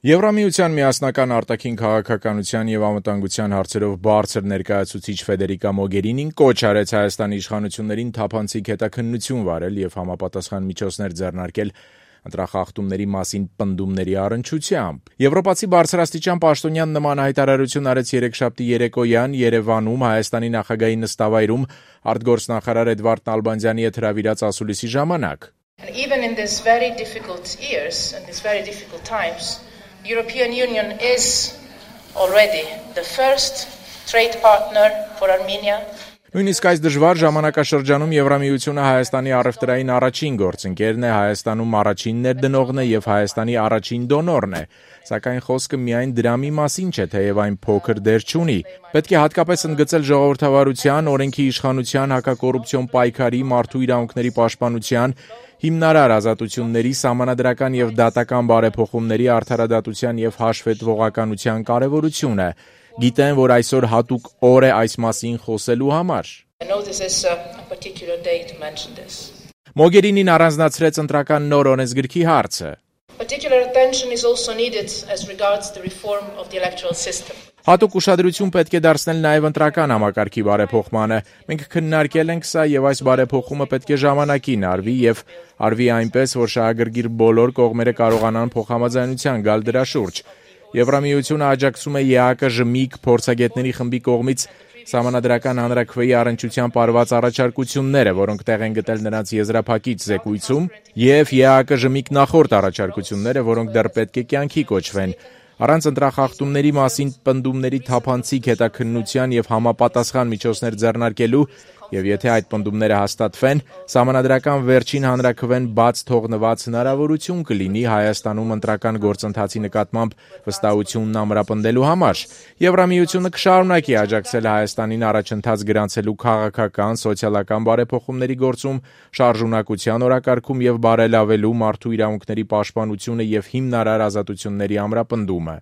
Եվրամիության միասնական արտաքին քաղաքականության եւ անվտանգության հարցերով բարձր ներկայացուցիչ Ֆեդերիկա Մոգերինին կոչ արեց Հայաստանի իշխանություններին թափանցիկ հետաքննություն վարել եւ համապատասխան միջոցներ ձեռնարկել ընտրախախտումների մասին պնդումների առնչությամբ։ Եվրոպացի բարձրաստիճան պաշտոնյան նման հայտարարություն արեց երեքշաբթի երեկոյան Երևանում Հայաստանի նախագահի նստավայրում արտգործնախարար Էդվարդ Նալբանդյանի հետ հրավիրած ասուլիսի ժամանակ։ Even in these very difficult years and these very difficult times, the European Union is already the first trade partner for Armenia. Նույնիսկ այս դժվար ժամանակաշրջանում Եվրամիությունը Հայաստանի առևտրային առաջին գործընկերն է, Հայաստանում առաջին ներդնողն է եւ Հայաստանի առաջին դոնորն է, սակայն խոսքը միայն դրամի մասին չէ, թեև այն փոքր դեր չունի։ Պետք է հատկապես ընդգծել ժողովրդավարության, օրենքի իշխանության, հակակոռուպցիոն պայքարի, մարդու իրավունքների պաշտպանության, հիմնարար ազատությունների, սահմանադրական եւ դատական բարեփոխումների, արդարադատության եւ հաշվետվողականության կարեւորությունը։ Գիտեն, որ այսօր հատուկ օր է այս մասին խոսելու համար։ Մոգերինին առանձնացրեց ընտրական նոր օրենսգրքի հարցը։ Հատուկ ուշադրություն պետք է դարձնել նաև ընտրական համակարգի բարեփոխմանը։ Մենք քննարկել ենք սա եւ այս բարեփոխումը պետք է ժամանակին արվի եւ արվի այնպես, որ շահագրգիռ բոլոր կողմերը կարողանան փոխհամաձայնության գալ դրա շուրջ։ Եվրամիությունը աջակցում է ԵԱԿ-ԺՄԻԿ փորձագետների խմբի կողմից Սահմանադրական հանրաքվեի առնչությամբ արված առաջարկությունները, որոնք տեղ են գտել նրանց եզրափակիչ զեկույցում, եւ ԵԱԿ-ԺՄԻԿ նախորդ առաջարկությունները, որոնք դեռ պետք է կյանքի կոչվեն։ Առանց ընտրախախտումների մասին պնդումների թափանցիկ հետաքննության եւ համապատասխան միջոցներ ձեռնարկելու եւ եթե այդ պնդումները հաստատվեն, Սահմանադրական վերջին հանրաքվեն բաց թողնված հնարավորություն կլինի Հայաստանում ընտրական գործընթացի նկատմամբ վստահությունն ամրապնդելու համար։ Եվրամիությունը կշարունակի աջակցել Հայաստանին առաջընթաց գրանցելու քաղաքական, սոցիալական բարեփոխումների գործում, շարժունակության օրակարգում եւ բարելավելու մարդու իրավունքների պաշտպանությունը եւ հիմնարար ազատությունների ամրապնդումը։